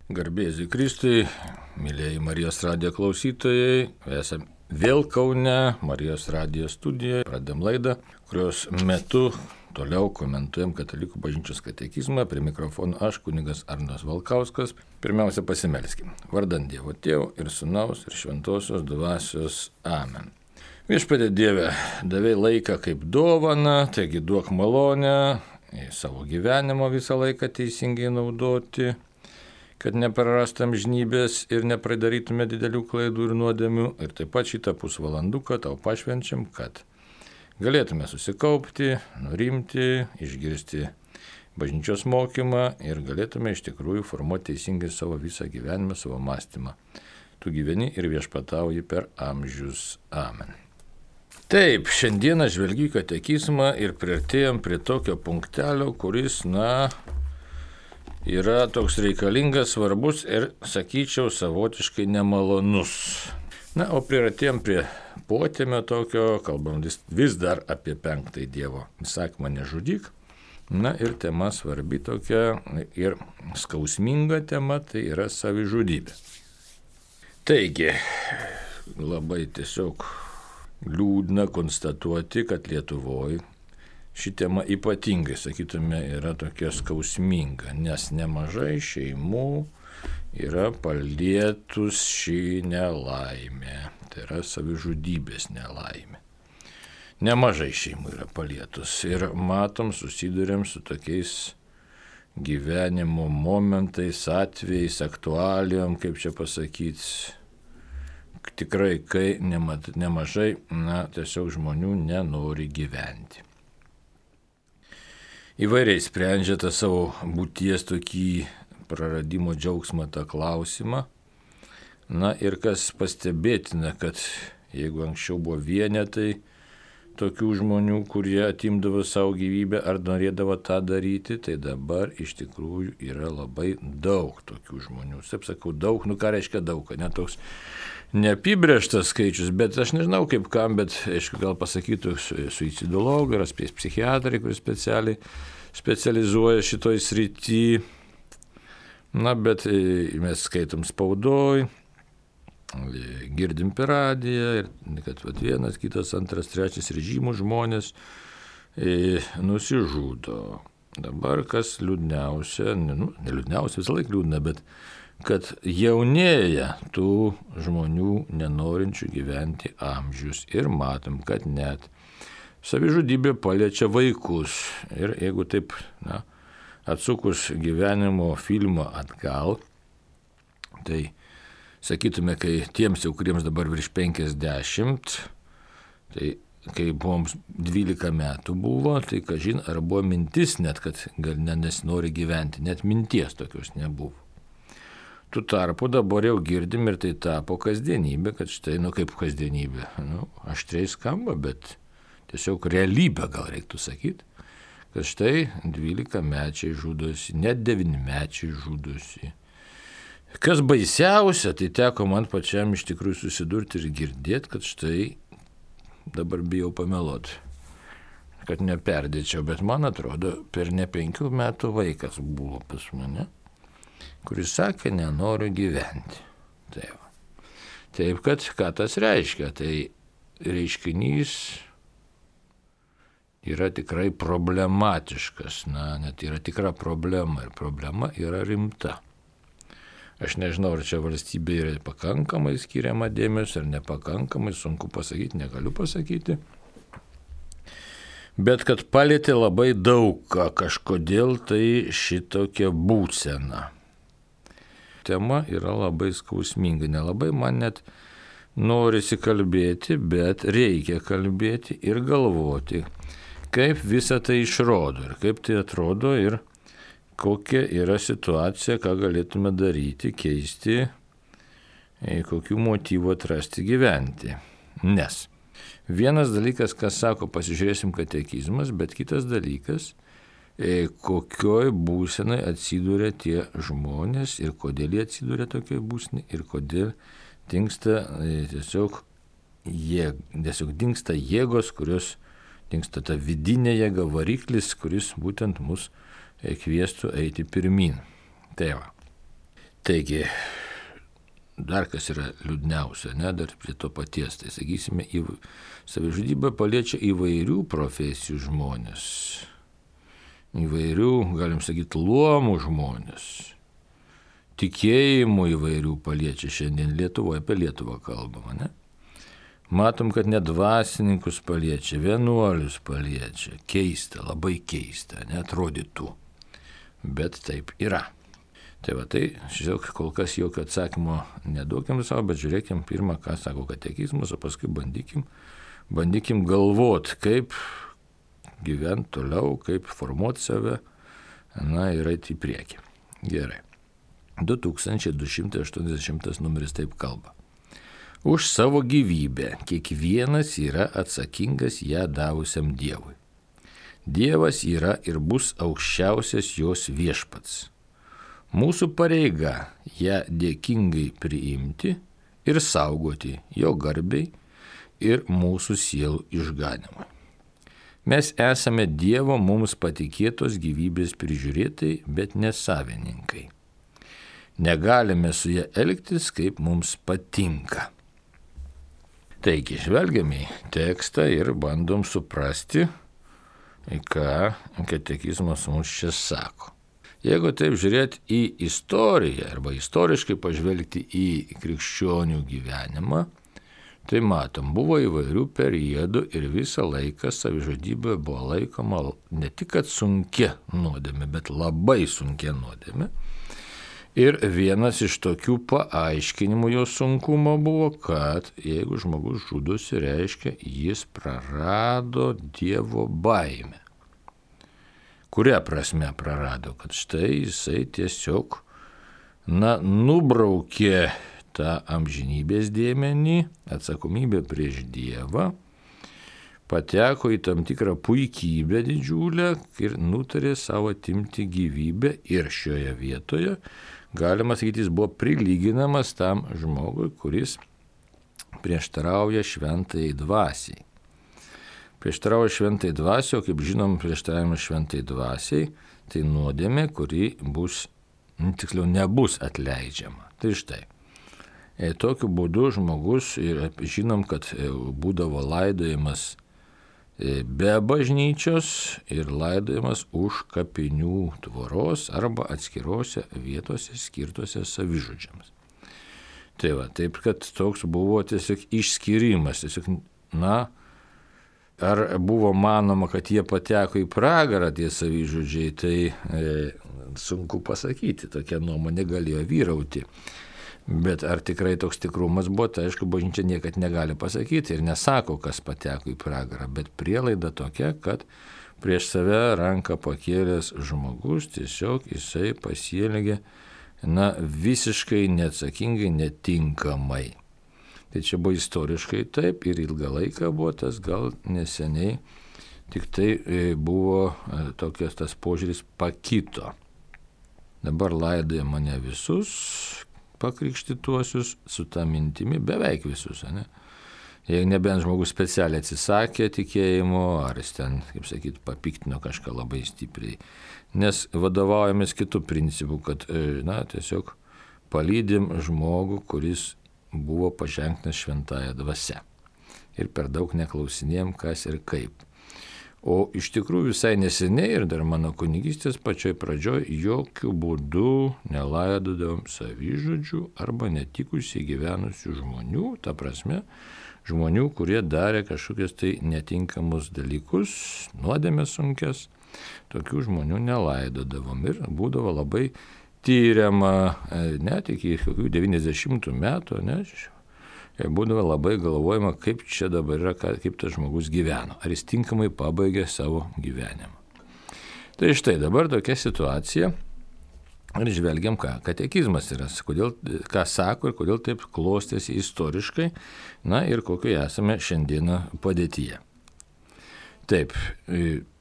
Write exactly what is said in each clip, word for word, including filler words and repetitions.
Garbėsiu Kristui, mėlyjeji Marijos radijo klausytojai, esame vėl Kaune, Marijos radijo studijoje, pradėm laidą, kurios metu toliau komentuojam Katalikų bažnyčios katekizmą, prie mikrofono aš, kunigas Arnas Valkauskas. Pirmiausia, pasimelskim. Vardant Dievo Tėvo ir Sūnaus ir Šventosios Dvasios. Amen. Viešpatie Dieve, davei laiką kaip dovaną, taigi duok malonę į savo gyvenimo visą laiką teisingai naudoti, kad neprarastam žnybės ir nepridarytume didelių klaidų ir nuodėmių. Ir taip pat šitą pusvalanduką tau pašvenčiam, kad galėtume susikaupti, nurimti, išgirsti bažnyčios mokymą ir galėtume iš tikrųjų formuoti teisingai savo visą gyvenimą, savo mąstymą. Tu gyveni ir viešpatauji per amžius. Amen. Taip, šiandieną žvelgiu į katekizmą ir priartėjom prie tokio punktelio, kuris, na, yra toks reikalingas, svarbus ir, sakyčiau, savotiškai nemalonus. Na, o priartėjom prie potėmio tokio, kalbam vis, vis dar apie penktąjį Dievo įsakymą nežudyk. Na ir tema svarbi tokia ir skausminga tema, tai yra savižudybė. Taigi, labai tiesiog liūdna konstatuoti, kad Lietuvoje ši tema ypatingai, sakytume, yra tokia skausminga, nes nemažai šeimų yra palietus šį nelaimę, tai yra savižudybės nelaimė. Nemažai šeimų yra palietus ir matom, susidurėm su tokiais gyvenimo momentais, atvejais, aktualijom, kaip čia pasakyti, tikrai, kai nemat, nemažai, na, tiesiog žmonių nenori gyventi. Įvairiai sprendžia tą savo būties tokį praradimo džiaugsmą, tą klausimą. Na ir kas pastebėtina, kad jeigu anksčiau buvo vienetai tokių žmonių, kurie atimdavo savo gyvybę ar norėdavo tą daryti, tai dabar iš tikrųjų yra labai daug tokių žmonių. Taip sakau, daug, nu ką reiškia daug, ne toks neapibrėžtas skaičius, bet aš nežinau kaip kam, bet aišku, gal pasakytų suicidologai ar psichiatrai, kuris specialiai specializuoja šitoj srity. Na, bet mes skaitom spaudoj, girdim per radiją, ir kad vat, vienas, kitas, antras, trečias režimų žmonės e, nusižudo. Dabar kas liūdniausia, nu, ne liūdniausia, visą laiką liūdna, bet kad jaunėja tų žmonių nenorinčių gyventi amžius ir matom, kad net savižudybė paliečia vaikus. Ir jeigu taip, na, atsukus gyvenimo filmą atgal, tai sakytume, kai tiems jau, kuriems dabar virš penkiasdešimt, tai kai buvom dvylika metų buvo, tai kažin ar buvo mintis net, kad gal nesinori gyventi, net minties tokios nebuvo. Tuo tarpu dabar jau girdim ir tai tapo kasdienybė, kad štai, nu kaip kasdienybė, nu, aštriai skamba, bet tiesiog realybė gal reiktų sakyti, kad štai dvylikamečiai žudosi, net devynmečiai žudosi. Kas baisiausia, tai teko man pačiam iš tikrųjų susidurti ir girdėti, kad štai dabar bijau pameluoti, kad neperdėčiau, bet man atrodo, per ne penkių metų vaikas buvo pas mane, kuris sakė, nenoriu gyventi. Taip. Taip, kad ką tas reiškia, tai reiškinys yra tikrai problematiškas, na, net yra tikra problema ir problema yra rimta. Aš nežinau, ar čia valstybė yra pakankamai skiriama dėmesio, ar nepakankamai, sunku pasakyti, negaliu pasakyti. Bet kad palietė labai daug ką, kažkodėl tai šitokia būsena. Tema yra labai skausminga, nelabai man net norisi kalbėti, bet reikia kalbėti ir galvoti, kaip visa tai išrodo ir kaip tai atrodo ir kokia yra situacija, ką galėtume daryti, keisti, kokių motyvų atrasti gyventi. Nes vienas dalykas, kas sako, pasižiūrėsim katekizmas, bet kitas dalykas, kokioj būsenai atsiduria tie žmonės ir kodėl jie atsiduria tokioj būsenai ir kodėl dingsta tiesiog, jėg, tiesiog dingsta jėgos, kurios dingsta ta vidinė jėga, variklis, kuris būtent mus kviestų eiti pirmin. Tai va. Taigi, dar kas yra liūdniausia, ne, dar prie to paties, tai sakysime, į savižudybę paliečia įvairių profesijų žmonės, įvairių, galim sakyti, luomų žmonės, tikėjimų įvairių paliečia šiandien Lietuvoje, apie Lietuvą kalbama, ne? Matom, kad net dvasininkus paliečia, vienuolius paliečia, keista, labai keista, neatrodytų, bet taip yra. Tai va, tai, žiūrėk, kol kas jokio atsakymo neduokim savo, bet žiūrėkim pirmą, ką sako katekizmas, o paskui bandykim, bandykim galvot, kaip gyventi toliau, kaip formuoti save, na ir eiti į priekį. Gerai. du tūkstančiai du šimtai aštuoniasdešimtas numeris taip kalba. Už savo gyvybę kiekvienas yra atsakingas ją davusiam Dievui. Dievas yra ir bus aukščiausias jos viešpats. Mūsų pareiga ją dėkingai priimti ir saugoti jo garbei ir mūsų sielų išganimui. Mes esame Dievo mums patikėtos gyvybės prižiūrėtojai, bet ne savininkai. Negalime su ja elgtis, kaip mums patinka. Taigi, žvelgiame į tekstą ir bandom suprasti, ką katekizmas mums čia sako. Jeigu taip žiūrėti į istoriją arba istoriškai pažvelgti į krikščionių gyvenimą, tai matom, buvo įvairių periodų ir visą laiką savižudybė buvo laikoma ne tik kad sunkia nuodėmė, bet labai sunkia nuodėmė. Ir vienas iš tokių paaiškinimų jo sunkumo buvo, kad jeigu žmogus žudosi, reiškia, jis prarado Dievo baimę. Kuria prasme prarado? Kad štai jisai tiesiog, na, nubraukė tą amžinybės dėmenį, atsakomybę prieš Dievą, pateko į tam tikrą puikybę didžiulę ir nutarė savo atimti gyvybę ir šioje vietoje, galima sakyti, jis buvo prilyginamas tam žmogui, kuris prieštarauja šventai dvasiai. Prieštarauja šventai dvasiai, o kaip žinom, prieštaravimas šventai dvasiai, tai nuodėmė, kuri bus, tiksliau, nebus atleidžiama. Tai štai. E, tokiu būdu žmogus, ir žinom, kad būdavo laidojimas be bažnyčios ir laidojimas už kapinių tvoros arba atskirose vietose skirtose savižudžiams. Tai va, taip, kad toks buvo tiesiog išskyrimas, tiesiog, na, ar buvo manoma, kad jie pateko į pragarą tie savižudžiai, tai e, sunku pasakyti, tokia nuomonė galėjo vyrauti. Bet ar tikrai toks tikrumas buvo, tai aišku, bažnyčia niekad negali pasakyti ir nesako, kas pateko į pragarą, bet prielaida tokia, kad prieš save ranką pakėlęs žmogus tiesiog jisai pasielgė, na, visiškai neatsakingai, netinkamai. Tai čia buvo istoriškai taip ir ilgą laiką buvo tas, gal neseniai, tik tai buvo tokias tas požiūris pakito. Dabar laidoja mane visus pakrikštytuosius su tą mintimi, beveik visus, ne? Jeigu nebent žmogus specialiai atsisakė tikėjimo, ar jis ten, kaip sakyt, papiktino kažką labai stipriai. Nes vadovaujamės kitų principų, kad, na, tiesiog palydim žmogų, kuris buvo paženktas šventąja dvasia. Ir per daug neklausinėjom, kas ir kaip. O iš tikrųjų visai neseniai ir dar mano kunigystės pačioj pradžioj jokių būdų nelaidodavom savižudžių arba netikusiai gyvenusių žmonių, ta prasme, žmonių, kurie darė kažkokius tai netinkamus dalykus, nuodėmės sunkias, tokių žmonių nelaidodavom ir būdavo labai tyriama, net iki kokių devyniasdešimtų metų, ne, būdavo labai galvojama, kaip čia dabar yra, kaip tas žmogus gyveno, ar jis tinkamai pabaigė savo gyvenimą. Tai štai dabar tokia situacija ir žvelgiam, ką katekizmas yra, kodėl, ką sako ir kodėl taip klostėsi istoriškai, na ir kokioje esame šiandieną padėtyje. Taip,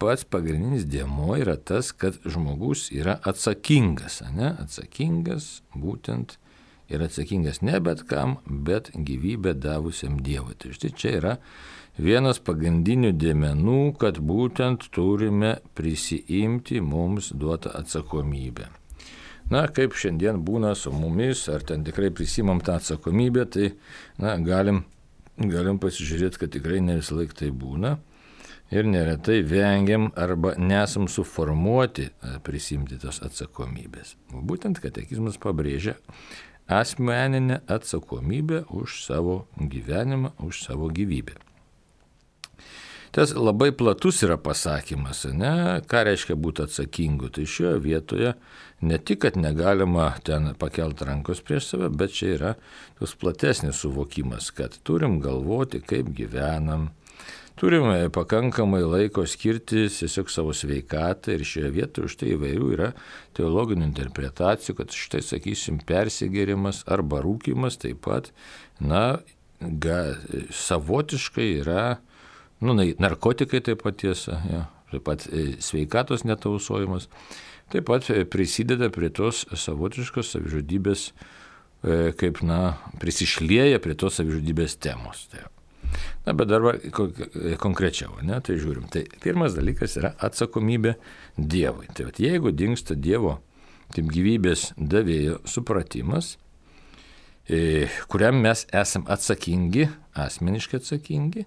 pats pagrindinis dėmuo yra tas, kad žmogus yra atsakingas, ne? Atsakingas būtent ir atsakingas ne bet kam, bet gyvybę davusiam Dievui. Tai štai čia yra vienas pagrindinių dėmenų, kad būtent turime prisiimti mums duotą atsakomybę. na, kaip šiandien būna su mumis, ar ten tikrai prisimam tą atsakomybę, tai, na, galim, galim pasižiūrėti, kad tikrai ne visą laiką tai būna. Ir neretai vengiam arba nesam suformuoti prisimti tos atsakomybės. Būtent katekizmas pabrėžia asmeninę atsakomybę už savo gyvenimą, už savo gyvybę. Tas labai platus yra pasakymas, ne? Ką reiškia būti atsakingu. Tai šioje vietoje ne tik, kad negalima ten pakelti rankos prieš save, bet čia yra tos platesnis suvokimas, kad turim galvoti, kaip gyvenam, turime pakankamai laiko skirti tiesiog savo sveikatą ir šioje vietoje už tai įvairių yra teologinių interpretacijų, kad štai, sakysim, persigėrimas arba rūkymas taip pat, na, ga, savotiškai yra, nu, narkotikai taip pat tiesa, ja, taip pat sveikatos netausojimas, taip pat prisideda prie tos savotiškos savižudybės, kaip, na, prisišlieja prie tos savižudybės temos. Tai, na, bet dabar konkrečiau, ne, tai žiūrim. Tai pirmas dalykas yra atsakomybė Dievui. Tai vat, jeigu dingsta Dievo kaip gyvybės davėjo supratimas, kuriam mes esam atsakingi, asmeniškai atsakingi,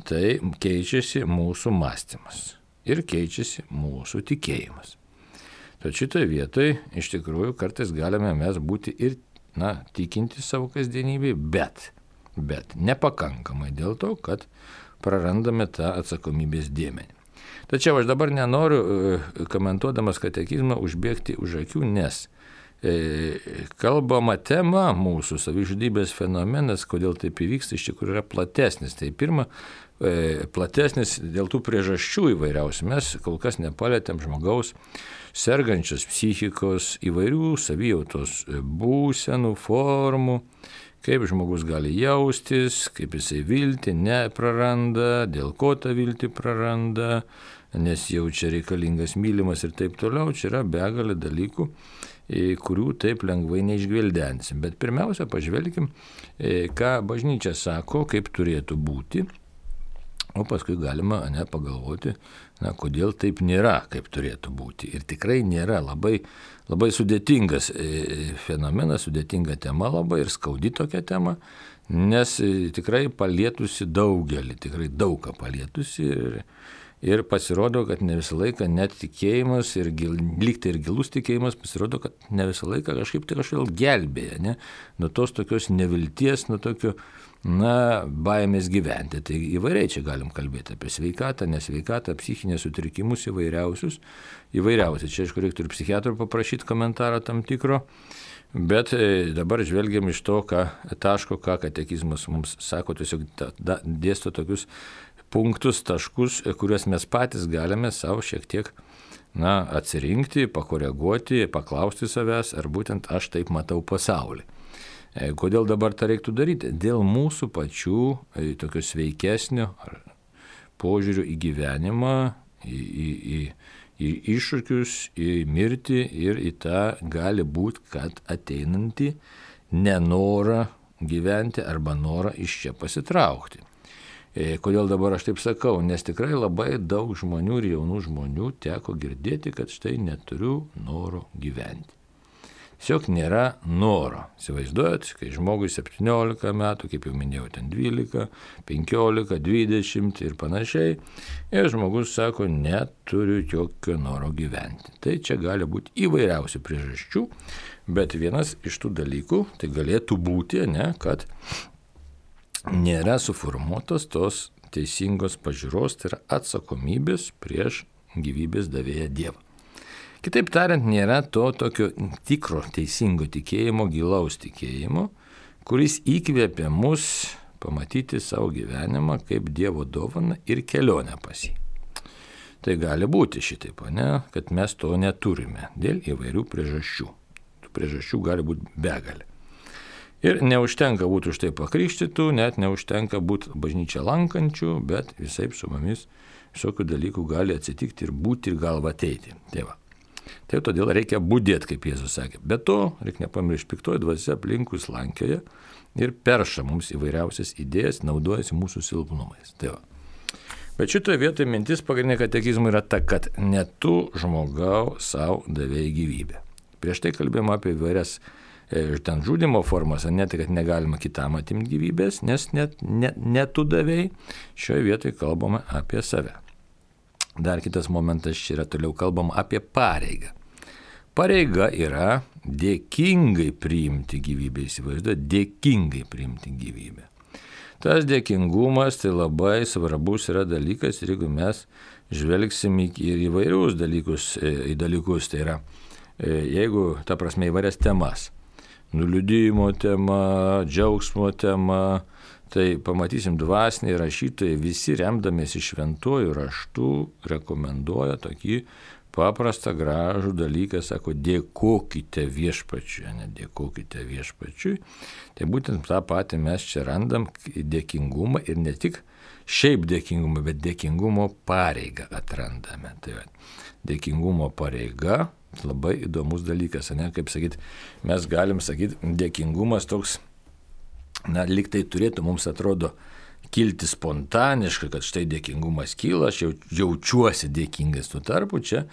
tai keičiasi mūsų mąstymas ir keičiasi mūsų tikėjimas. Tad šitoje vietoje iš tikrųjų kartais galime mes būti ir, na, tikinti savo kasdienybėje, bet, bet nepakankamai dėl to, kad prarandame tą atsakomybės dėmenį. Tačiau aš dabar nenoriu, komentuodamas katekizmą, užbėgti už akių, nes kalbama tema mūsų savižudybės fenomenas, kodėl taip įvyksta, iš tikrųjų yra platesnis. Tai pirma, platesnis dėl tų priežasčių įvairiausių. Mes kol kas nepalėtėm žmogaus sergančios psichikos, įvairių savijautos būsenų, formų, kaip žmogus gali jaustis, kaip jisai viltį nepraranda, dėl ko tą viltį praranda, nes jaučia reikalingas mylimas ir taip toliau. Čia yra begalė dalykų, kurių taip lengvai neišgvildensim. Bet pirmiausia, pažvelkim, ką bažnyčia sako, kaip turėtų būti, o paskui galima, ne, pagalvoti, na, kodėl taip nėra, kaip turėtų būti. Ir tikrai nėra labai, labai sudėtingas fenomenas, sudėtinga tema labai ir skaudi tokia tema, nes tikrai palietusi daugelį, tikrai daugą palietusi ir Ir pasirodo, kad ne visą laiką net tikėjimas ir gil, lygtai ir gilus tikėjimas pasirodo, kad ne visą laiką kažkaip tai kažkaip gelbėja, ne? Nuo tos tokios nevilties, nuo tokio, na, baimės gyventi. Tai įvairiai čia galim kalbėti apie sveikatą, nesveikatą, psichinės sutrikimus įvairiausius. Įvairiausiai. Čia, aišku, reiktų ir psichiatrų paprašyti komentarą tam tikro. Bet dabar žvelgiam iš to, ką taško, ką katekizmas mums sako, tiesiog da, da, dėsto tokius punktus, taškus, kuriuos mes patys galime savo šiek tiek, na, atsirinkti, pakoreguoti, paklausti savęs, ar būtent aš taip matau pasaulį. Kodėl dabar tą reiktų daryti? Dėl mūsų pačių tokio sveikesnio požiūrių į gyvenimą, į, į, į, į iššūkius, į mirtį ir į tą gali būti, kad ateinantį nenorą gyventi arba norą iš čia pasitraukti. Kodėl dabar aš taip sakau? Nes tikrai labai daug žmonių ir jaunų žmonių teko girdėti, kad štai neturiu noro gyventi. Tiesiog nėra noro. Įsivaizduojat, kai žmogui septyniolika metų, kaip jau minėjau, ten dvylika, penkiolika, dvidešimt ir panašiai, ir žmogus sako, neturiu jokio noro gyventi. Tai čia gali būti įvairiausių priežasčių, bet vienas iš tų dalykų tai galėtų būti, ne, kad nėra suformuotos tos teisingos pažiūros, tai yra atsakomybės prieš gyvybės davėją Dievą. Kitaip tariant, nėra to tokio tikro teisingo tikėjimo, gilaus tikėjimo, kuris įkvėpia mus pamatyti savo gyvenimą kaip Dievo dovaną ir kelionę pas jį. Tai gali būti šitaip, ne, kad mes to neturime dėl įvairių priežasčių. Tų priežasčių gali būti begalė. Ir neužtenka būti už tai pakrikštytų, net neužtenka būti bažnyčią lankančių, bet visai su mumis visokių dalykų gali atsitikti ir būti ir galva ateiti. Tai va. Tai todėl reikia budėti, kaip Jėzus sakė. Be to, reikia nepamiršti, piktoji dvasia aplinkui slankioja ir perša mums įvairiausias idėjas, naudojasi mūsų silpnumais. Tai va. Bet šitoje vietoje mintis pagrindinė katekizmų yra ta, kad ne tu žmogau savo davėjai gyvybę. Prieš tai kalbėjome apie įvairias e, ten žudimo formas, ne tai, kad negalima kitam atimti gyvybės, nes net ne, ne tu davėjai, šioje vietoje kalbame apie save. Dar kitas momentas čia yra, toliau kalbam apie pareigą. Pareiga yra dėkingai priimti gyvybę, įsivaizduoju, dėkingai priimti gyvybę. Tas dėkingumas tai labai svarbus yra dalykas ir jeigu mes žvelgsim ir įvairius dalykus, į dalykus, tai yra, jeigu, ta prasme, įvairias temas, nuliūdimo tema, džiaugsmo tema, tai pamatysim dvasiniai rašytojai visi remdamiesi šventuoju raštu rekomenduoja tokį paprastą gražų dalyką, sako, dėkokite viešpačiui, ne dėkokite viešpačiui. Tai būtent tą patį mes čia randam dėkingumą ir ne tik šiaip dėkingumą, bet dėkingumo pareigą atrandame. Tai va, dėkingumo pareiga labai įdomus dalykas, ne, kaip sakyt, mes galim sakyti, dėkingumas toks, na, lyg tai turėtų, mums atrodo, kilti spontaniškai, kad štai dėkingumas kyla, aš jau, jaučiuosi dėkingas, tuo tarpu čia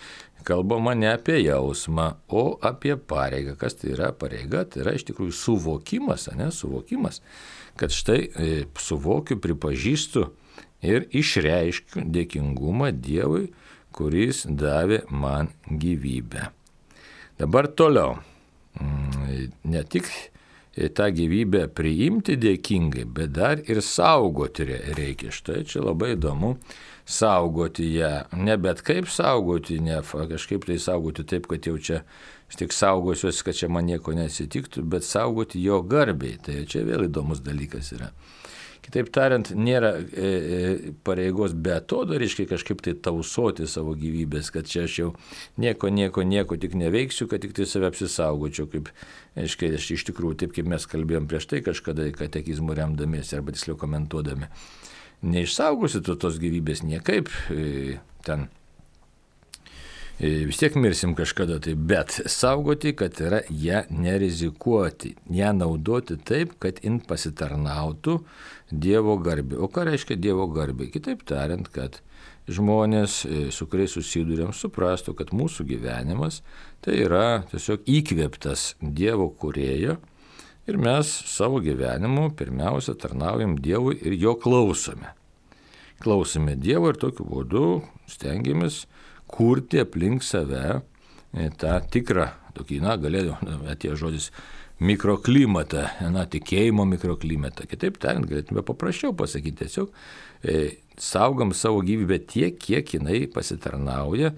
kalbama ne apie jausmą, o apie pareigą. Kas tai yra pareiga? Tai yra iš tikrųjų suvokimas, ne, suvokimas, kad štai e, suvokiu, pripažįstu ir išreiškiu dėkingumą Dievui, kuris davė man gyvybę. Dabar toliau, ne tik tą gyvybę priimti dėkingai, bet dar ir saugoti reikia. Štai čia labai įdomu saugoti ją. Ne bet kaip saugoti, ne kažkaip tai saugoti taip, kad jau čia tik saugosiuosi, kad čia man nieko nesitiktų, bet saugoti jo garbiai. Tai čia vėl įdomus dalykas yra. Kitaip tariant, nėra e, e, pareigos be atodariškai kažkaip tai tausoti savo gyvybės, kad čia aš jau nieko, nieko, nieko tik neveiksiu, kad tik tai save apsisaugočiau, kaip, aiškiai, aš iš tikrųjų, taip kaip mes kalbėjom prieš tai kažkada katekizmų remdamiesi arba tiksliau komentuodami. Neišsaugosi tu tos gyvybės niekaip, e, ten vis tiek mirsim kažkada tai, bet saugoti, kad yra ją nerizikuoti, ją naudoti taip, kad jin pasitarnautų Dievo garbė. O ką reiškia Dievo garbė? Kitaip tariant, kad žmonės, su kuriais susidurėm, suprastų, kad mūsų gyvenimas tai yra tiesiog įkvėptas Dievo kūrėjo ir mes savo gyvenimu pirmiausia tarnaujam Dievui ir jo klausome. Klausome Dievo ir tokiu būdu stengiamės kurti aplink save tą tikrą, tokį, na, galėjo, atėjo žodis, mikroklimatą, na, tikėjimo mikroklimatą. Kitaip tariant, galėtume paprasčiau pasakyti, tiesiog e, saugam savo gyvybę tiek, kiek jinai pasitarnauja,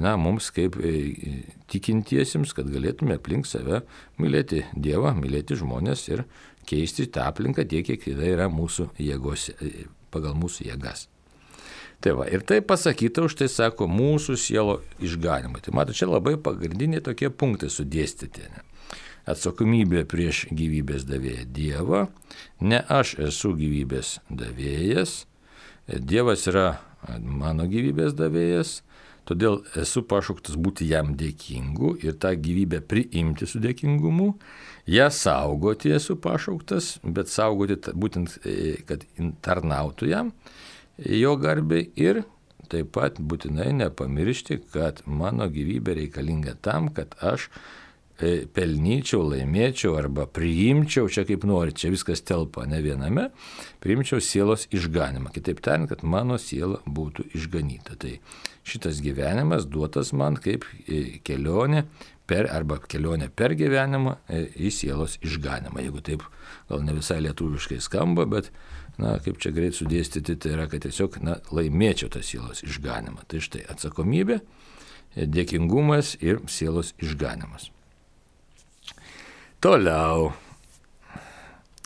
na, mums kaip e, tikintiesiems, kad galėtume aplink save mylėti Dievą, mylėti žmonės ir keisti tą aplinką tiek, kiek jinai yra mūsų jėgos, e, pagal mūsų jėgas. Tai va, ir tai pasakyta už tai, sako, mūsų sielo išganimai. Tai mato, čia labai pagrindiniai tokie punktai sudėstyti. Ne? Atsakomybė prieš gyvybės davėją Dievą, ne aš esu gyvybės davėjas, Dievas yra mano gyvybės davėjas, todėl esu pašauktas būti jam dėkingu ir tą gyvybę priimti su dėkingumu, ją saugoti esu pašauktas, bet saugoti būtent, kad tarnautų jam, jo garbei ir taip pat būtinai nepamiršti, kad mano gyvybė reikalinga tam, kad aš pelnyčiau, laimėčiau arba priimčiau, čia kaip nori, čia viskas telpa ne viename, priimčiau sielos išganimą. Kitaip tariant, kad mano siela būtų išganyta. Tai šitas gyvenimas duotas man kaip kelionė per, arba kelionė per gyvenimą į sielos išganimą. Jeigu taip gal ne visai lietuviškai skamba, bet na, kaip čia greit sudėstyti, tai yra, kad tiesiog na, laimėčiau tą sielos išganimą. Tai štai atsakomybė, dėkingumas ir sielos išganimas. Toliau,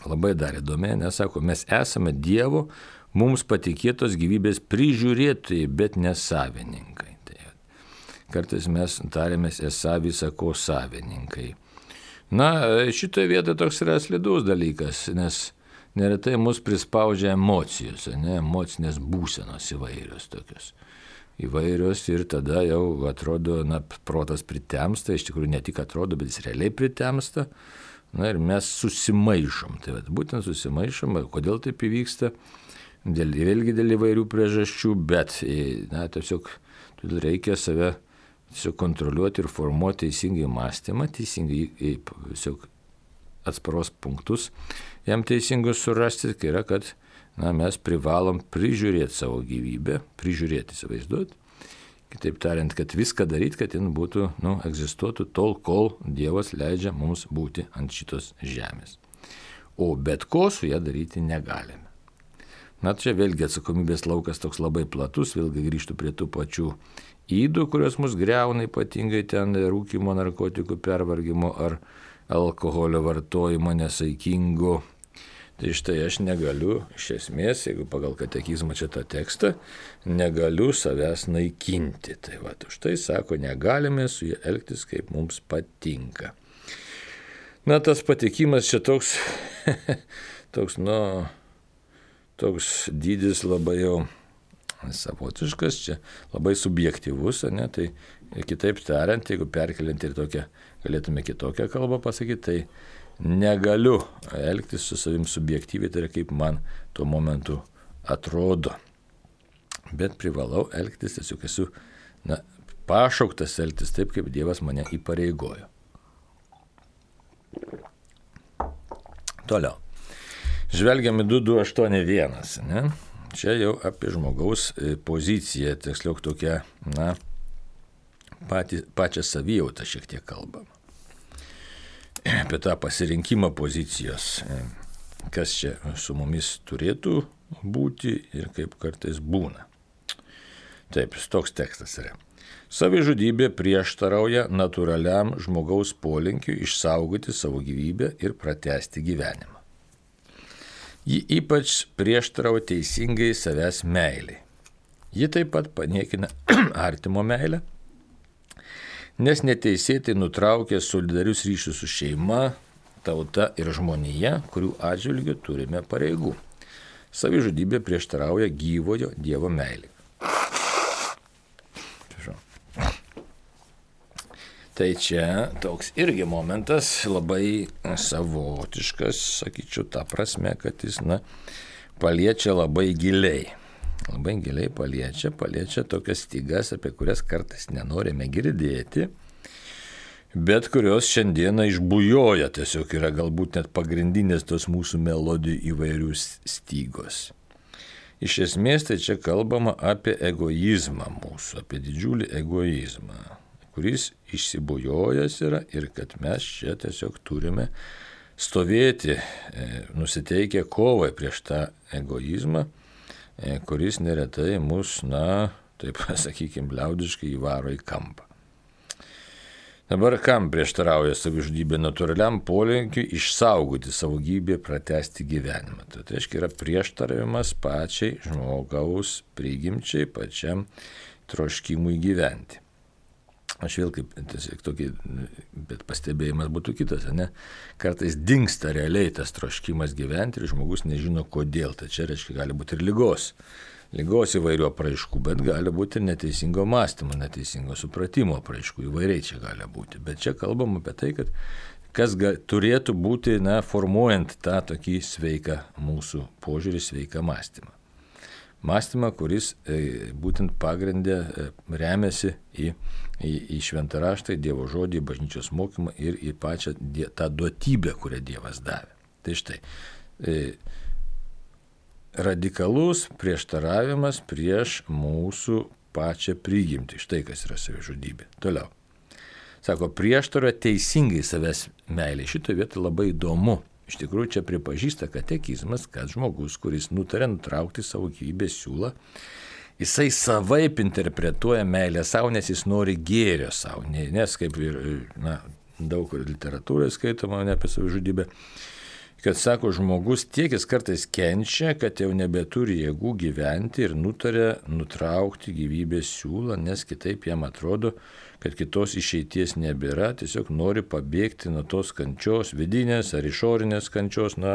labai dar įdomiai, nes sako, mes esame Dievo mums patikėtos gyvybės prižiūrėtojai, bet ne savininkai. Tai kartais mes tarėmės esą visako savininkai. Na, šitoje vietoje toks yra slidus dalykas, nes neretai mus prispaudžia emocijos, ne, emocinės būsenos įvairios tokios. Įvairios ir tada jau atrodo, na, protas pritemsta, iš tikrųjų ne tik atrodo, bet jis realiai pritemsta, na ir mes susimaišom. Tai vat, būtent susimaišom, kodėl taip įvyksta, dėl, vėlgi dėl įvairių priežasčių, bet, na, tiesiog reikia save tiesiog kontroliuoti ir formuoti teisingai mąstymą, teisingai tiesiog atsparos punktus, jam teisingus surasti, kai yra, kad na, mes privalom prižiūrėti savo gyvybę, prižiūrėti, įsivaizduoti. Kitaip tariant, kad viską daryti, kad jin būtų, nu, egzistuotų tol, kol Dievas leidžia mums būti ant šitos žemės. O bet ko su ją daryti negalime. Na, čia vėlgi atsakomybės laukas toks labai platus, vėlgi grįžtų prie tų pačių ydų, kurios mus greuna, ypatingai ten rūkymo, narkotikų pervargimo ar alkoholio vartojimo nesaikingo. Tai štai aš negaliu, iš esmės, jeigu pagal katekizmą čia tą tekstą, negaliu savęs naikinti. Tai va, už tai sako, negalime su jie elgtis, kaip mums patinka. Na, tas patikimas čia toks, toks, nu, toks dydis labai jau savotiškas, čia labai subjektyvus, ne, tai kitaip tariant, jeigu perkeliant ir tokią, galėtume kitokią kalbą pasakyti, tai negaliu elgtis su savim subjektyviai, tai yra kaip man tuo momentu atrodo. Bet privalau elgtis, tiesiog esu na, pašauktas elgtis taip, kaip Dievas mane įpareigojo. Toliau. Žvelgiame du du aštuoni vienas. Ne? Čia jau apie žmogaus poziciją, tiksliau tokia, na, pati, pačią savijautą šiek tiek kalbama. Apie tą pasirinkimą pozicijos, kas čia su mumis turėtų būti ir kaip kartais būna. Taip, toks tekstas yra. Savižudybė prieštarauja natūraliam žmogaus polinkiui išsaugoti savo gyvybę ir pratęsti gyvenimą. Ji ypač prieštarauja teisingai savęs meiliai. Ji taip pat paniekina artimo meilę, nes neteisėtai nutraukė solidarius ryšius su šeima, tauta ir žmonija, kurių atžvilgiu turime pareigų. Savižudybė prieštarauja gyvojo Dievo meilei. Tai čia toks irgi momentas labai savotiškas, sakyčiau, ta prasme, kad jis, na, paliečia labai giliai. Labai giliai paliečia, paliečia tokias stygas, apie kurias kartais nenorime girdėti, bet kurios šiandieną išbujoja, tiesiog yra galbūt net pagrindinės tos mūsų melodijų įvairių stygos. Iš esmės tai čia kalbama apie egoizmą mūsų, apie didžiulį egoizmą, kuris išsibujojęs yra ir kad mes čia tiesiog turime stovėti, nusiteikę kovai prieš tą egoizmą, kuris neretai mus, na, taip sakykime, liaudiškai įvaro į kampą. Dabar kam prieštarauja savižudybė natūraliam polinkiui išsaugoti savo gyvybę, pratęsti gyvenimą? Tai reiškia yra prieštaravimas pačiai žmogaus prigimčiai, pačiam troškimui gyventi. Aš vėl kaip tiesiog tokį, bet pastebėjimas būtų kitas, ne? Kartais dingsta realiai tas troškimas gyventi ir žmogus nežino kodėl. Tai čia reiškia gali būti ir ligos. Ligos įvairių apraiškų, bet gali būti ir neteisingo mąstymo, neteisingo supratimo apraiškų. Įvairiai čia gali būti. Bet čia kalbam apie tai, kad kas ga, turėtų būti, na, formuojant tą tokį sveiką mūsų požiūrį, sveiką mąstymą. Mąstymą, kuris e, būtent pagrindė e, remiasi į, į, į šventą raštą, į Dievo žodį, į bažnyčios mokymą ir į pačią die, tą duotybę, kurią Dievas davė. Tai štai, e, radikalus prieštaravimas prieš mūsų pačią prigimtį. Štai kas yra savižudybė. Toliau. Sako, prieštaroja teisingai savęs meilė. Šitoje vietoje labai įdomu. Iš tikrųjų, čia pripažįsta katekizmas, kad žmogus, kuris nutarė nutraukti savo gyvybės siūlą, jisai savaip interpretuoja meilę savo, nes jis nori gėrio savo. Nes kaip ir, na, daug literatūroje skaitoma ne apie savižudybę, kad sako, žmogus tiek jis kartais kenčia, kad jau nebeturi jėgų gyventi ir nutarė nutraukti gyvybės siūlą, nes kitaip jam atrodo, kad kitos išeities nebėra, tiesiog nori pabėgti nuo tos kančios, vidinės ar išorinės kančios, na,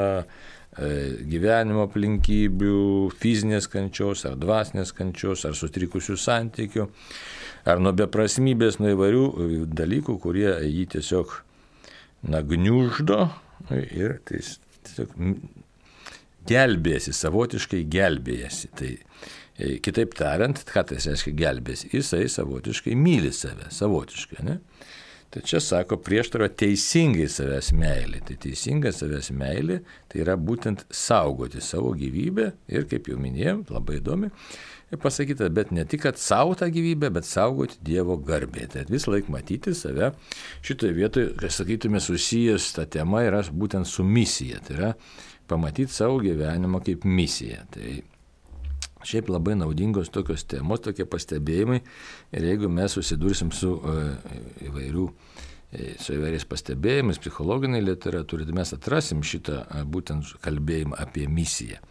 gyvenimo aplinkybių, fizinės kančios ar dvasinės kančios, ar sutrikusių santykių, ar nuo beprasmybės, nuo įvairių dalykų, kurie jį tiesiog, na, gniuždo ir tai tiesiog gelbėjasi, savotiškai gelbėjasi. Tai Kitaip tariant, ką tai reiškia gelbės? Jisai savotiškai myli save, savotiškai, ne? Tai čia sako prieštara teisingai savęs meilė. Tai teisinga savęs meilė, tai yra būtent saugoti savo gyvybę ir, kaip jau minėjom, labai įdomi, pasakyta, bet ne tik, kad savo tą gyvybę, bet saugoti Dievo garbę. Tai vis laik matyti save šitoje vietoje, kai sakytume, susijęs ta tema yra būtent su misija. Tai yra pamatyti savo gyvenimą kaip misiją. Tai šiaip labai naudingos tokios temos, tokie pastebėjimai. Ir jeigu mes susidursim su įvairių, su įvairiais pastebėjimais, psichologiniai literatūrai, tai mes atrasim šitą būtent kalbėjimą apie misiją.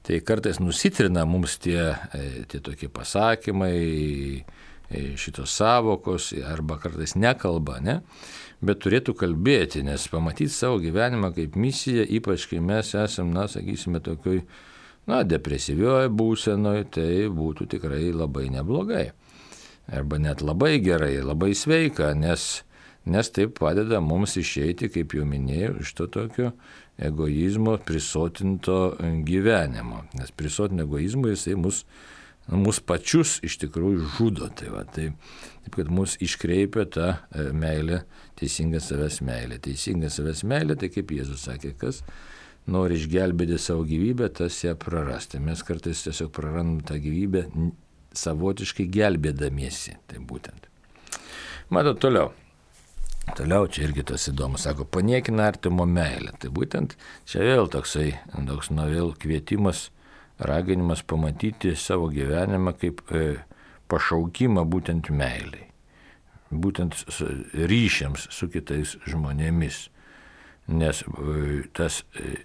Tai kartais nusitrina mums tie, tie tokie pasakymai, šitos savokos, arba kartais nekalba, ne? Bet turėtų kalbėti, nes pamatyti savo gyvenimą kaip misiją, ypač kai mes esam, na, sakysime, tokioj, na, depresyvioje būsenoje, tai būtų tikrai labai neblogai. Arba net labai gerai, labai sveika, nes, nes taip padeda mums išeiti, kaip jau minėjau, iš to tokio egoizmo prisotinto gyvenimo. Nes prisotinto egoizmo jisai mus, mus pačius iš tikrųjų žudo. Tai va, tai, taip, kad mus iškreipia ta meilė, teisinga savęs meilė. Teisinga savęs meilė, tai kaip Jėzus sakė, kas nori išgelbėti savo gyvybę, tas ją prarasti. Mes kartais tiesiog prarandam tą gyvybę savotiškai gelbėdamiesi. Tai būtent. Matot, toliau. Toliau čia irgi tas įdomus. Sako, paniekina artimo meilę. Tai būtent čia vėl toksai, toks nu vėl kvietimas, raginimas pamatyti savo gyvenimą kaip e, pašaukimą būtent meiliai. Būtent ryšiams su kitais žmonėmis. Nes e, tas e,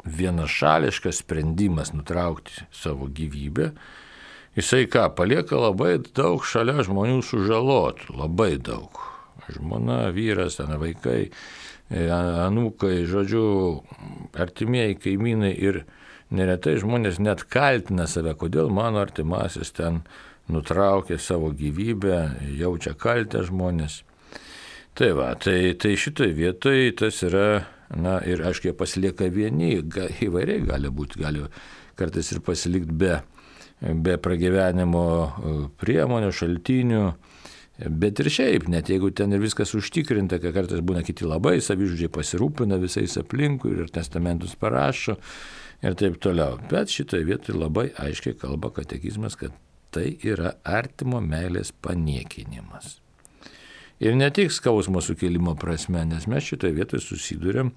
vienašališkas sprendimas nutraukti savo gyvybę, jisai ką, palieka labai daug šalia žmonių sužalotų, labai daug. Žmona, vyras, vaikai, anūkai, žodžiu, artimieji kaimynai ir neretai žmonės net kaltina save, kodėl mano artimasis ten nutraukė savo gyvybę, jaučia kaltę žmonės. Tai va, tai, tai šitoj vietoj tas yra, na ir aišku, jie pasilieka vieni, ga, įvairiai gali būti, gali kartais ir pasilikti be, be pragyvenimo priemonių, šaltinių, bet ir šiaip, net jeigu ten ir viskas užtikrinta, kad kartais būna kiti labai savižudžiai pasirūpina visais aplinkui ir testamentus parašo ir taip toliau. Bet šitoje vietoje labai aiškiai kalba katekizmas, kad tai yra artimo meilės paniekinimas. Ir ne tik skausmo sukėlimo prasme, nes mes šitoje vietoje susidurėm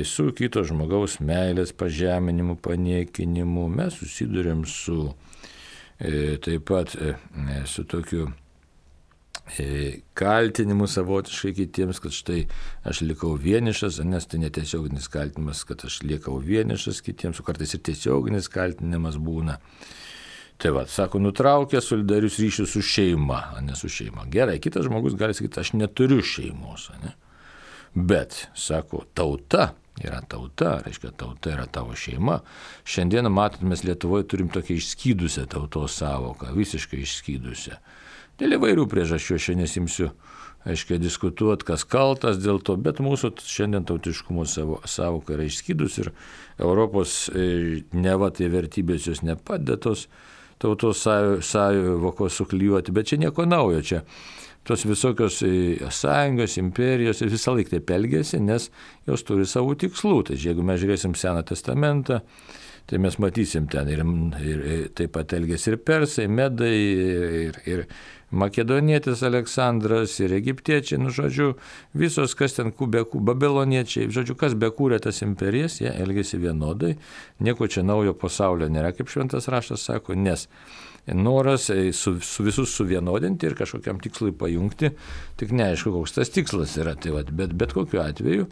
su kito žmogaus meilės pažeminimu, paniekinimu, mes susidurėm su taip pat su tokiu kaltinimu savotiškai kitiems, kad štai aš likau vienišas, nes tai netiesioginis kaltinimas, kad aš likau vienišas kitiems, o kartais ir tiesioginis kaltinimas būna. Tai va, sako, nutraukė solidarius ryšius su šeima, o ne su šeima. Gerai, kitas žmogus gali sakyti, aš neturiu šeimos, ne? Bet, sako, tauta yra tauta, reiškia, tauta yra tavo šeima. Šiandieną, matot, mes Lietuvoje turim tokią išskydusią tautos savoką, visiškai išskydusią. Dėl įvairių priežasčių aš nesimsiu, aiškiai, diskutuoti, kas kaltas dėl to, bet mūsų šiandien tautiškumo savoka yra išskydus ir Europos neva tai vertybės jos nepadėtos tautos sąvokos suklijuoti, bet čia nieko naujo, čia tos visokios sąjungos, imperijos visą laiką taip elgiasi, nes jos turi savo tikslų. Tai jeigu mes žiūrėsim Seną testamentą, tai mes matysim ten ir, ir, ir taip pat elgėsi ir persai, medai, ir, ir makedonietis Aleksandras, ir egiptiečiai, nu žodžiu, visos, kas ten kubekų, babiloniečiai, žodžiu, kas bekūrė tas imperijas, jie elgėsi vienodai, nieko čia naujo pasaulio nėra, kaip šventas raštas sako, nes noras su, su visus suvienodinti ir kažkokiam tikslui pajungti, tik neaišku, koks tas tikslas yra, tai va, bet bet kokiu atveju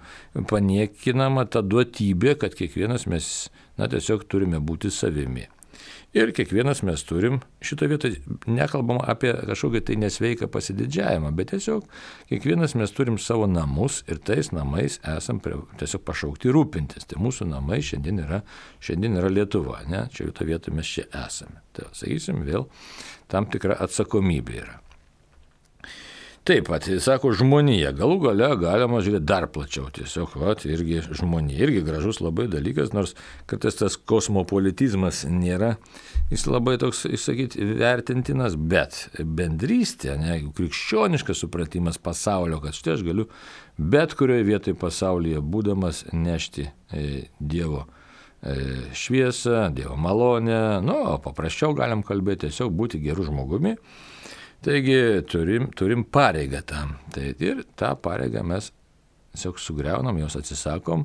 paniekinama ta duotybė, kad kiekvienas mes, na, tiesiog turime būti savimi. Ir kiekvienas mes turim, šito vietoje nekalbam apie kažkokį tai nesveiką pasididžiavimą, bet tiesiog kiekvienas mes turim savo namus ir tais namais esam prie, tiesiog pašaukti rūpintis. Tai mūsų namai šiandien yra, šiandien yra Lietuva, ne? Čia šito vietoje mes čia esame. Tai sakysim, vėl tam tikra atsakomybė yra. Taip pat, sako, žmonija. Galų gale galima žiūrėti dar plačiau. Tiesiog, va, irgi žmonija. Irgi gražus labai dalykas, nors kartais tas kosmopolitizmas nėra, jis labai toks, išsakyti, vertintinas, bet bendrystė, ne, krikščioniškas supratimas pasaulio, kad štai aš galiu bet kurioje vietoje pasaulyje būdamas nešti e, Dievo e, šviesą, Dievo malonę, nu, paprasčiau galim kalbėti, tiesiog būti geru žmogumi. Taigi turim, turim pareigą tam. Tai ir tą pareigą mes tiesiog sugriaunam, jos atsisakom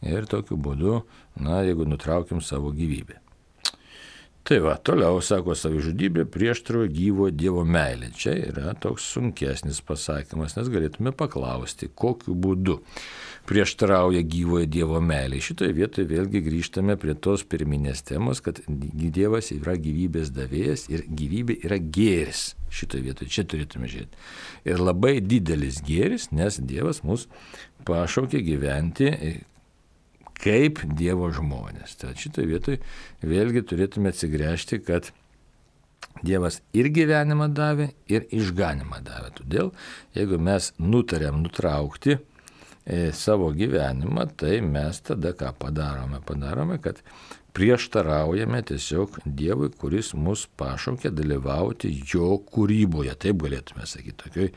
ir tokiu būdu, na, jeigu nutraukim savo gyvybę. Tai va, toliau, sako, savižudybė prieštarauja gyvo Dievo meilė. Čia yra toks sunkesnis pasakymas, nes galėtume paklausti, kokiu būdu prieštarauja gyvojo Dievo meilė. Šitoje vietoje vėlgi grįžtame prie tos pirminės temos, kad Dievas yra gyvybės davėjas ir gyvybė yra gėris. Šitoje vietoje čia turėtume žiūrėti. Ir labai didelis gėris, nes Dievas mus pašaukė gyventi kaip Dievo žmonės. Tad šitoje vietoje vėlgi turėtume atsigręžti, kad Dievas ir gyvenimą davė, ir išganimą davė. Todėl, jeigu mes nutarėm nutraukti e, savo gyvenimą, tai mes tada ką padarome? Padarome, kad prieštaraujame tiesiog Dievui, kuris mus pašaukė dalyvauti jo kūryboje. Taip galėtume sakyti. Tokioj.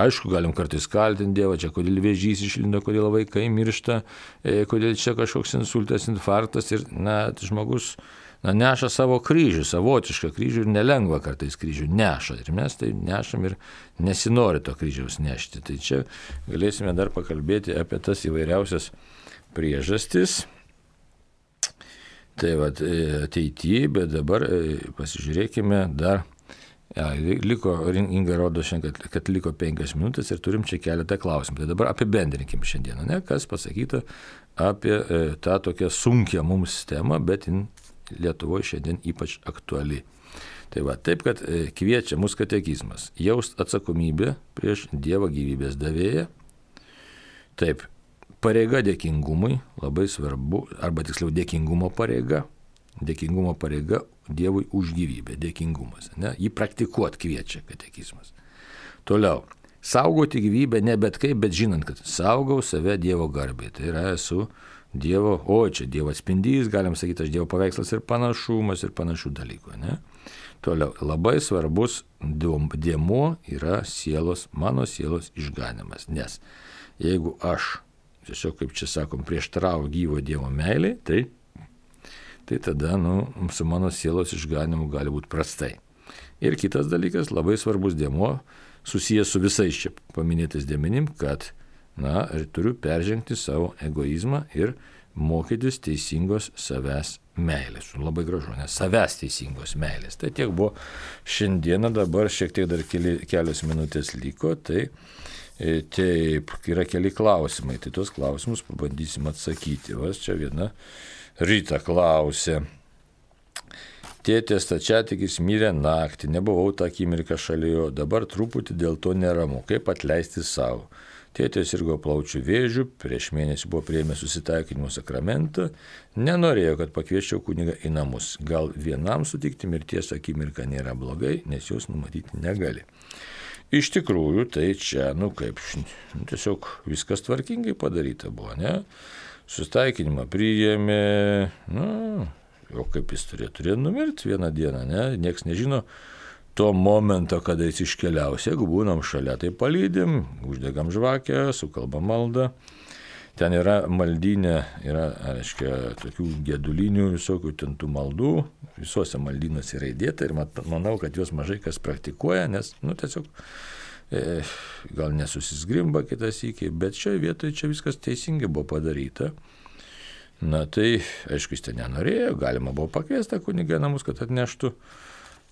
Aišku, galim kartais kaltinti Dievą, čia kodėl vėžys išlindo, kodėl vaikai miršta, kodėl čia kažkoks insultas, infarktas ir na, žmogus na, neša savo kryžių, savotišką kryžių ir nelengva kartais kryžių neša. Ir mes tai nešam ir nesinori to kryžiaus nešti. Tai čia galėsime dar pakalbėti apie tas įvairiausias priežastis. Tai va, ateityje, bet dabar pasižiūrėkime dar, ja, liko, Inga rodo šiandien, kad, kad liko penkias minutės ir turim čia keletą klausimų. Tai dabar apibendrinkim šiandieną, ne, kas pasakyta apie e, tą tokią sunkią mums temą, bet in Lietuvoje šiandien ypač aktuali. Tai va, taip, kad e, kviečia mus katekizmas jaust atsakomybę prieš Dievo gyvybės davėją. Taip, pareiga dėkingumui, labai svarbu, arba tiksliau dėkingumo pareiga, dėkingumo pareiga Dievui už gyvybę, dėkingumas, ne, jį praktikuot kviečia katekizmas. Toliau, saugoti gyvybę ne bet kaip, bet žinant, kad saugau save Dievo garbei, tai yra esu Dievo, o čia Dievo atspindys, galim sakyti, aš Dievo paveikslas ir panašumas ir panašių dalykų, ne. Toliau, labai svarbus dėmuo yra sielos, mano sielos išganimas, nes jeigu aš tiesiog, kaip čia sakom, prieštarauju gyvo Dievo meilei, tai, tai tada, nu, su mano sielos išganimu gali būti prastai. Ir kitas dalykas, labai svarbus dėmuo, susijęs su visais čia paminėtais dėmenim, kad, na, turiu peržengti savo egoizmą ir mokytis teisingos savęs meilės. Labai gražu, nes savęs teisingos meilės. Tai tiek buvo šiandieną, dabar šiek tiek dar keli, kelios minutės liko, tai taip, yra keli klausimai, tai tuos klausimus pabandysim atsakyti. Vas čia viena Rita klausė. Tėtė stačiatikis mirė naktį, nebuvau tą akimirką šalia jo, dabar truputį dėl to neramu, kaip atleisti savo. Tėtė sirgo plaučių vėžių, prieš mėnesį buvo priėmęs susitaikinimo sakramentą, nenorėjo, kad pakviesčiau kunigą į namus. Gal vienam sutikti mirties akimirką nėra blogai, nes jos numatyti negali. Iš tikrųjų, tai čia, nu kaip, nu, tiesiog viskas tvarkingai padaryta buvo, ne? Susitaikinimą priėmė, nu, o kaip jis turėjo, turėjo numirti vieną dieną, ne? Niekas nežino to momento, kada jis iškeliaus. Jeigu būnam šalia, tai palydim, uždegam žvakę, sukalbam maldą. Ten yra maldynė, yra, aiškia, tokių gedulinių visokių tentų maldų, visuose maldynuose yra įdėta ir manau, kad juos mažai kas praktikuoja, nes, nu, tiesiog e, gal nesusisgrimba kitas įkiai, bet šioje vietoje čia viskas teisingai buvo padaryta. Na tai, aišku, jis ten nenorėjo, galima buvo pakviesti kunigą namus, kad atneštų,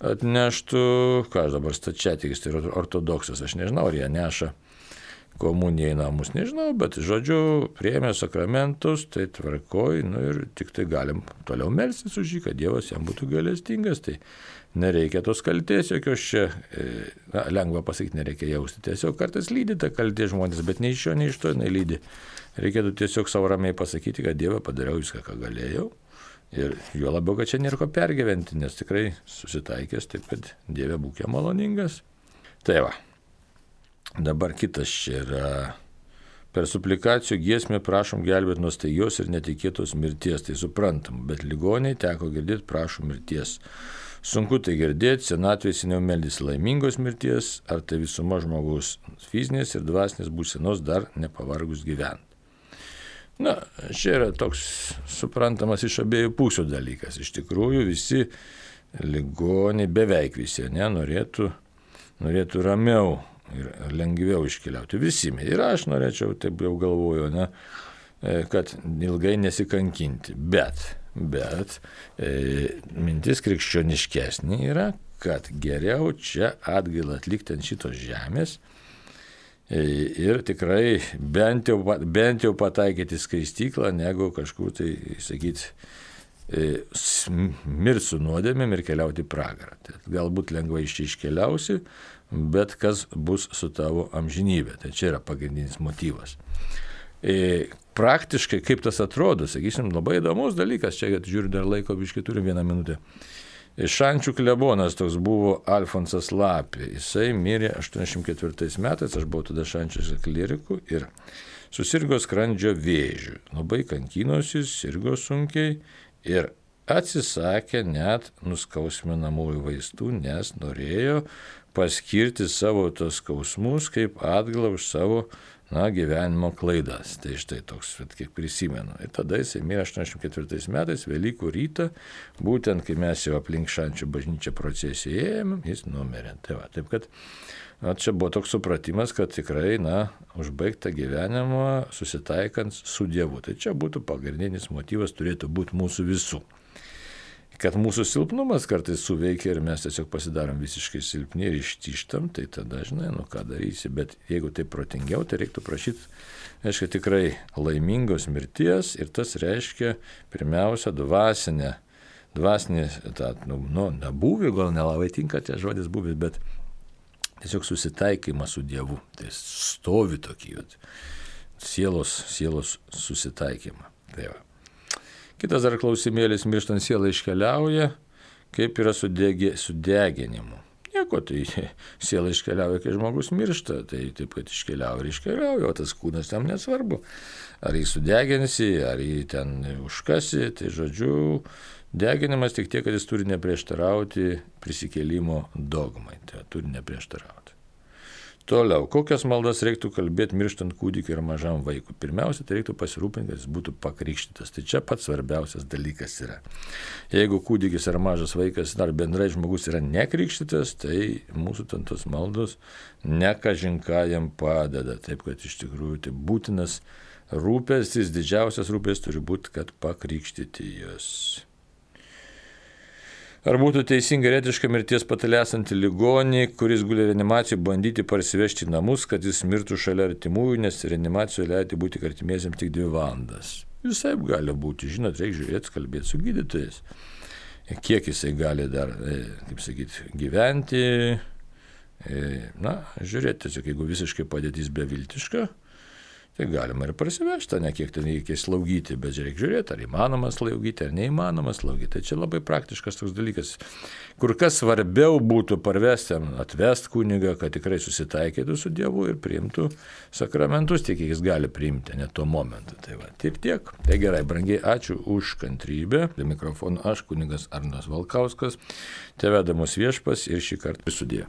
atneštų, ką aš dabar stačiatikis, tai ortodoksas, aš nežinau, ar jie neša komuniją į namus, nežinau, bet žodžiu, priėmė sakramentus, tai tvarkoj, nu ir tik tai galim toliau melstis už jį, kad Dievas jam būtų gailestingas, tai nereikia tos kaltės jokios čia, na, lengva pasakyti, nereikia jausti, tiesiog kartais lydi ta kaltė žmonės, bet nei iš jo, nei iš to jinai lydi. Reikėtų tiesiog savo ramiai pasakyti, kad Dieve padariau viską, ką galėjau, ir juo labiau, kad čia nėra ko pergyventi, nes tikrai susitaikęs, taip kad Dieve būk jam maloningas. Tai va. Dabar kitas čia yra. Per suplikacijų giesmę prašom gelbėti nuo staigios ir netikėtos mirties, tai suprantam, bet ligoniai teko girdėti prašom mirties. Sunku tai girdėti, senatvėje seniau meldys laimingos mirties, ar tai visuma žmogaus fizinės ir dvasinės būsenos dar nepavargus gyventi. Na, čia yra toks suprantamas iš abiejų pusių dalykas. Iš tikrųjų visi ligoniai, beveik visi, ne, norėtų, norėtų ramiau ir lengviau iškeliauti. Visi. Ir aš norėčiau, taip jau galvoju, ne, kad ilgai nesikankinti. Bet, bet e, mintis krikščioniškesnė yra, kad geriau čia atgailą atlikti ant šitos žemės e, ir tikrai bent jau, bent jau pataikyti skaistyklą, negu kažkur tai, sakyti, e, mirti su nuodėmėm ir keliauti į pragarą. Tai galbūt lengvai iš čia iškeliausi, bet kas bus su tavo amžinybė. Tai čia yra pagrindinis motyvas. E, praktiškai, kaip tas atrodo, sakysim, labai įdomus dalykas, čia žiūriu dar laiko, biškai turim vieną minutę. Šančių klebonas toks buvo Alfonsas Lapė. Jisai mirė aštuoniasdešimt ketvirtais metais, aš buvau tada Šančiuose kleriku ir susirgo skrandžio vėžiu. Labai kankinosi, sirgo sunkiai ir atsisakė net nuskausminamųjų vaistų, nes norėjo paskirti savo tos skausmus kaip atgalą už savo, na, gyvenimo klaidas. Tai štai toks, kiek prisimenu. Ir tada jisai mirė aštuoniasdešimt ketvirtais metais, Velykų rytą, būtent kai mes jau aplink Šančių bažnyčią procesiją ėjome, jis numirė. Tai va, taip kad, na, čia buvo toks supratimas, kad tikrai, na, užbaigta gyvenimą susitaikant su Dievu. Tai čia būtų pagrindinis motyvas, turėtų būti mūsų visų. Kad mūsų silpnumas kartais suveikia ir mes tiesiog pasidarom visiškai silpni ir ištištam, tai tada, žinai, nu ką darysi, bet jeigu tai protingiau, tai reiktų prašyti, reiškia, tikrai laimingos mirties ir tas reiškia pirmiausia dvasinę, dvasinį, tą, nu, nu, nebuvį, gal nelabai tinka tie žodis buvis, bet tiesiog susitaikymą su Dievu, tai stovi tokį, vat, sielos, sielos susitaikymą. Tai va. Kitas dar klausimėlis, mirštant siela iškeliauja, kaip yra su degė, su deginimu. Nieko, tai siela iškeliauja, kai žmogus miršta, tai taip, kad iškeliauja ir iškeliauja, o tas kūnas tam nesvarbu. Ar jį sudeginsi, ar jį ten užkasi, tai žodžiu, deginimas tik tiek, kad jis turi neprieštarauti prisikėlimo dogmai, tai turi neprieštarauti. Toliau, kokias maldas reiktų kalbėti mirštant kūdikiui ir mažam vaikui? Pirmiausia, tai reiktų pasirūpinti, kad jis būtų pakrikštytas. Tai čia pats svarbiausias dalykas yra. Jeigu kūdikis ar mažas vaikas, ar bendrai žmogus yra nekrikštytas, tai mūsų tos maldos nekažinką jam padeda. Taip, kad iš tikrųjų tai būtinas rūpestis, didžiausias rūpestis turi būti, kad pakrikštyti juos. Ar būtų teisinga ir etiška mirties patale esantį ligonį, kuris guli reanimacijoje, bandyti parsivežti į namus, kad jis mirtų šalia artimųjų, nes reanimacijoje leidžia būti artimiesiems tik dvi valandas? Visai gali būti, žinot, reikia žiūrėti, kalbėti su gydytojais. Kiek jisai gali dar, kaip sakyti, gyventi. Na, žiūrėti, tiesiog, jeigu visiškai padėtis beviltiška, tai galima ir parsivežti, ne kiek ten reikia slaugyti, bet reikia žiūrėti, ar įmanoma slaugyti, ar neįmanoma slaugyti. Tai čia labai praktiškas toks dalykas. Kur kas svarbiau būtų parvesti, atvesti kunigą, kad tikrai susitaikytų su Dievu ir priimtų sakramentus, tiek jis gali priimti, ne tuo momentu. Tai va, ir tiek. Tai gerai, brangiai, ačiū už kantrybę. Prie mikrofono aš, kunigas Arnas Valkauskas, teveda mus Viešpats ir šį kartą sudie.